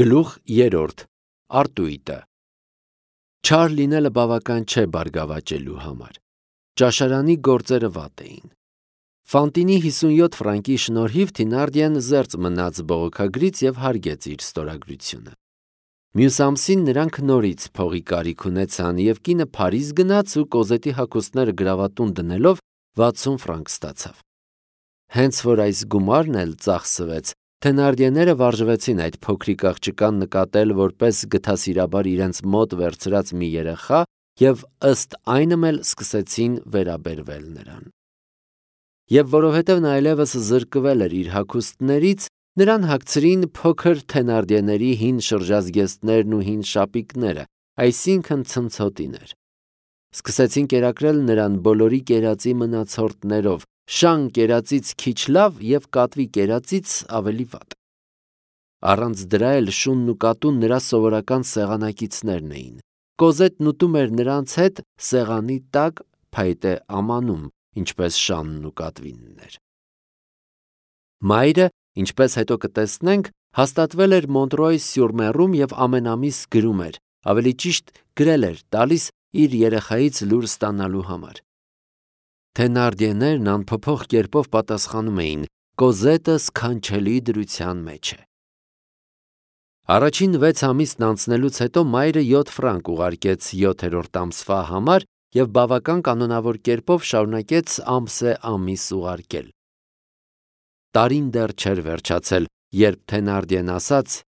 Գլուխ 3. Արտույտը Չար լինելը բավական չէ բարգավաճելու համար։ Ճաշարանի գործերը վատ էին։ Ֆանտինի 57 ֆրանկի շնորհիվ Թինարդիեն զերծ մնաց բողոքագրից և հարգեց իր ստորագրությունը։ Մյուս ամսին նրանք նորից փողի կարիք ունեցան և կինը Փարիզ գնաց ու Կոզետի հագուստները գրավատուն դնելով 60 ֆրանկ ստացավ։ Հենց որ այս գումարն էլ ծախսվեց, Թենարդիեները վարժվեցին այդ փոքրիկ աղջկան նկատել որպես գթասիրաբար իրենց մոտ վերցրած մի երեխա և ըստ այնմ էլ սկսեցին վերաբերվել նրան։ Եվ որովհետև նա այլևս զրկվել էր իր հագուստներից, նրան հագցրին փոքր Թենարդիեների հին շրջազգեստներն ու հին շապիկները, այսինքն ցնցոտիներ։ Սկսեցին կերակրել նրան բոլորի կերածի մնացորդներով, շան կերածից քիչ լավ և կատվի կերածից ավելի վատ։ Առանց դրա էլ շունն ու կատուն նրա սովորական սեղանակիցներն էին։ Կոզետն ուտում էր նրանց հետ սեղանի տակ փայտե ամանում, ինչպես շանն ու կատվինն էր։ Մայրը, ինչպես հետո կտեսնենք, հաստատվել էր Մոնտրոյ-սյուր-Մեռում և ամեն ամիս գրում էր, ավելի ճիշտ գրել էր տալիս իր երեխայից լուր ստանալու համար։ Թենարդիեներն անփոփոխ կերպով պատասխանում էին. Կոզետը սքանչելի դրության մեջ է։ Առաջին 6 ամիսն անցնելուց հետո մայրը 7 ֆրանկ ուղարկեց 7-րդ ամսվա համար և բավական կանոնավոր կերպով շարունակեց ամսե-ամիս ուղարկել։ Տարին դեռ չէր վերջացել, երբ Թենարդիեն ասաց.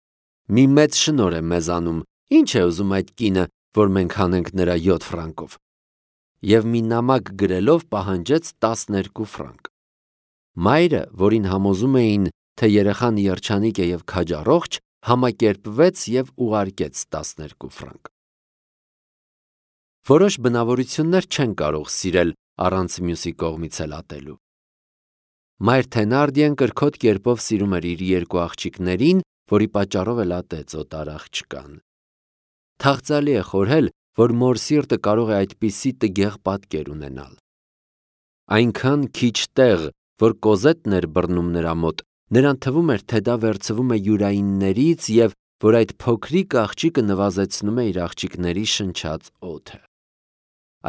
«Մի մեծ շնորհ է մեզանում, ի՞նչ է ուզում այդ կինը, որ մենք հանենք նրա 7 ֆրանկով»։ Եվ մի նամակ գրելով պահանջեց 12 ֆրանկ։ Մայրը, որին համոզում էին, թե երեխան երջանիկ է և քաջառողջ, համակերպվեց և ուղարկեց 12 ֆրանկ։ Որոշ բնավորություններ չեն կարող սիրել առանց մյուսի կողմից էլ ատելու։ Մայր Թենարդիեն կրքոտ կերպով սիրում էր իր երկու աղջիկներին, որի պատճառով էլ ատեց օտար աղջկան։ Թախծալի է խորհել, որ մոր սիրտը կարող է այդպիսի տգեղ պատկեր ունենալ։ Այնքան քիչ տեղ, որ Կոզետն էր բռնում նրա մոտ, նրան թվում էր, թե դա վերցվում է յուրայիններից և որ այդ փոքրիկ աղջիկը նվազեցնում է իր աղջիկների շնչած օդը։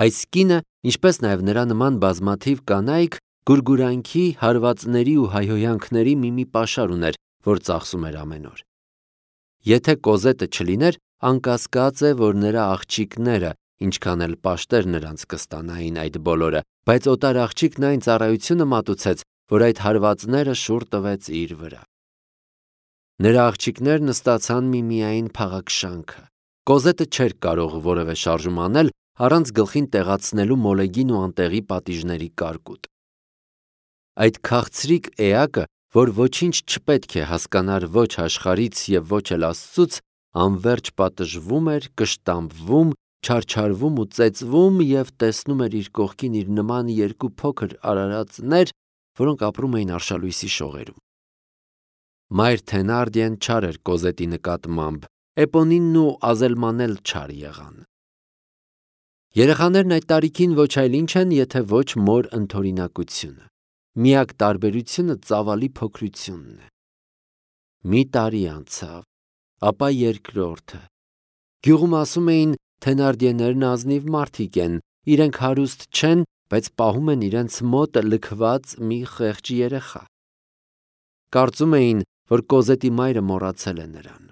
Այս կինը, ինչպես նաև նրա նման բազմաթիվ կանայք, գուրգուրանքի, հարվածների ու հայհոյանքների մի պաշար ուներ, որ ծախսում էր ամեն օր։ Եթե Կոզետը չլիներ, անկասկած է, որ նրա աղջիկները, ինչքան էլ պաշտեր նրանց կստանային այդ բոլորը, բայց օտար աղջիկն այն ծառայությունը մատուցեց, որ այդ հարվածները շուռ տվեց իր վրա։ Նրա աղջիկներն ստացան միմիայն փաղաքշանքը։ Կոզետը չէր կարող որևէ շարժում անել առանց գլխին տեղացնելու մոլեգին ու անտեղի պատիժների կարկուտ։ Այդ քաղցրիկ էակը, որ ոչինչ չպետք է հասկանար ոչ աշխարհից և ոչ էլ Աստծուց, անվերջ պատժվում էր, կշտամբվում, չարչարվում ու ծեծվում և տեսնում էր իր կողքին իր նման երկու փոքր արարածներ, որոնք ապրում էին արշալույսի շողերում։ Մայր Թենարդիեն չար էր Կոզետի նկատմամբ, Էպոնինն ու Ազելման էլ չար եղան։ Երեխաներն այդ տարիքին ոչ այլ ինչ են, եթե ոչ մոր ընդօրինակությունը։ Միակ տարբերությունը ծավալի փոքրությունն է։ Մի տարի անցավ, ապա երկրորդը։ Գյուղում ասում էին, Թենարդիեներն ազնիվ մարդիկ են, իրենք հարուստ չեն, բայց պահում են իրենց մոտ լքված մի խեղճ երեխա։ Կարծում էին, որ Կոզետի մայրը մոռացել է նրան։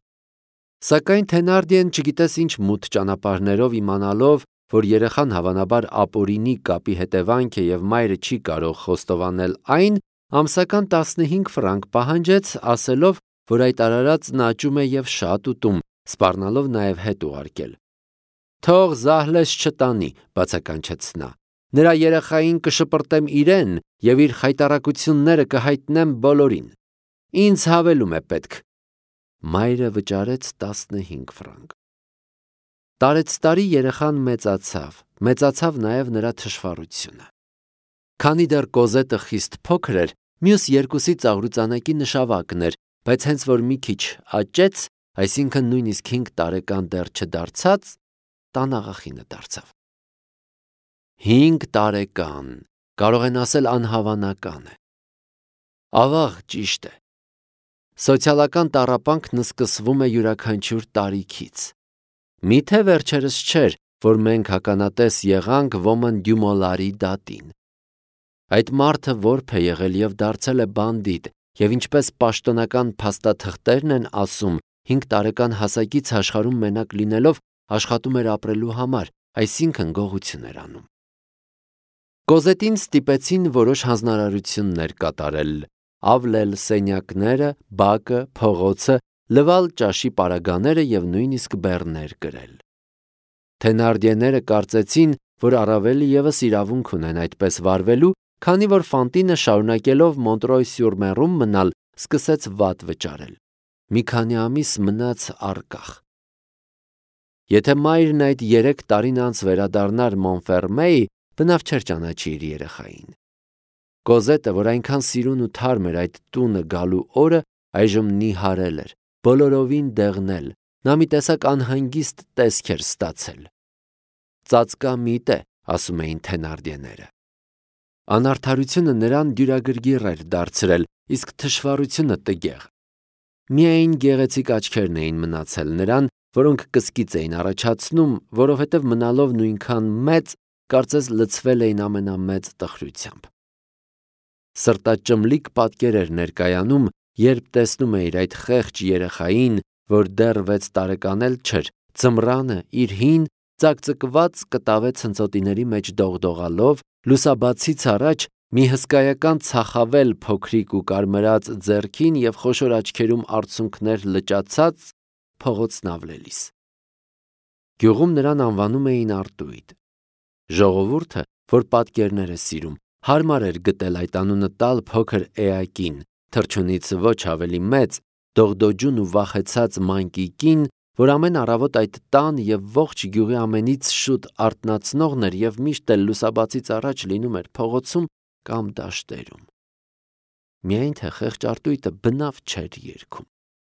Սակայն Թենարդիեն չգիտես ինչ մութ ճանապարհներով իմանալով, որ երեխան հավանաբար ապօրինի կապի հետևանք է և մայրը չի կարող խոստովանել այն, ամսական 15 ֆրանկ պահանջեց, ասելով, որ այդ արարածն աճում է և շատ ուտում, սպառնալով նաև հետ ուղարկել։ Թող զահլես չտանի, բացականչեց նա։ Նրա երեխային կշպրտեմ իրեն և իր խայտառակությունները կհայտնեմ բոլորին։ Ինձ հավելում է պետք։ Մայրը վճարեց 15 ֆրանկ։ Տարեցտարի երեխան մեծացավ նաև նրա թշվառությունը։ Քանի դեռ Կոզետը խիստ փոքր էր, մյուս երկուսի ծաղրուծանակի նշավակն էր, բայց հենց որ մի քիչ աճեց, այսինքն նույնիսկ 5 տարեկան դեռ չդարձած, տան աղախինը դարձավ։ 5 տարեկան, կարող են ասել անհավանական է։ Ավաղ, ճիշտ է։ Սոցիալական տառապանքն սկսվում է յուրաքանչյուր տարիքից։ Միթե վերջերս չէր, որ մենք ականատես եղանք Ոմն Դյումոլարի դատին։ Այդ մարդը որբ է եղել և դարձել է բանդիտ, և ինչպես պաշտոնական փաստաթղթերն են ասում, 5 տարեկան հասակից աշխարհում մենակ լինելով աշխատում էր ապրելու համար, այսինքն գողություն էր անում։ Կոզետին ստիպեցին որոշ հանձնարարություններ կատարել, ավլել սենյակները, բակը, փողոցը, լվալ ճաշի պարագաները և նույնիսկ բեռներ կրել։ Թենարդիեները կարծեցին, որ առավել ևս իրավունք ունեն այդպես վարվելու, քանի որ Ֆանտինը շարունակելով Մոնտրոյ-սյուր-Մերում մնալ, սկսեց վատ վճարել։ Մի քանի ամիս մնաց առկախ։ Եթե մայրն այդ 3 տարին անց վերադառնար Մոնֆերմեի, բնավ չէր ճանաչի իր երեխային։ Կոզետը, որ այնքան սիրուն ու թարմ էր այդ տունը գալու օրը, այժմ նիհարել էր, բոլորովին դեղնել, նա մի տեսակ անհանգիստ տեսք էր ստացել։ Ծածկամիտ է, ասում էին Թենարդիեները։ Անարդարությունը նրան դյուրագրգիռ էր դարձրել, իսկ թշվառությունը տգեղ։ Միայն գեղեցիկ աչքերն էին մնացել նրան, որոնք կսկիծ էին առաջացնում, որովհետև մնալով նույնքան մեծ, կարծես լցվել էին ամենամեծ տխրությամբ։ Սրտաճմլիկ պատկեր էր ներկայանում, երբ տեսնում էիր այդ խեղճ երեխային, որ դեռ 6 տարեկան էլ չէր, ձմռանը իր հին, ծակծկված կտավե ցնծոտիների մեջ դողդողալով, լուսաբացից առաջ մի հսկայական ցախավել փոքրիկ ու կարմրած ձեռքին և խոշոր աչքերում արցունքներ լճացած փողոցն ավլելիս։ Գյուղում նրան անվանում էին Արտույտ։ Ժողովուրդը, որ պատկերներ է սիրում, հարմար էր գտել այդ անունը տալ փոքր էակին, թռչունից ոչ ավելի մեծ, դողդոջուն ու վախեցած մանկիկին, որ ամեն առավոտ այդ տան և ողջ գյուղի ամենից շուտ արթնացնողն էր և միշտ էլ լուսաբացից առաջ լինում էր փողոցում կամ դաշտերում։ Միայն թե խեղճ Արտույտը բնավ չէր երգում։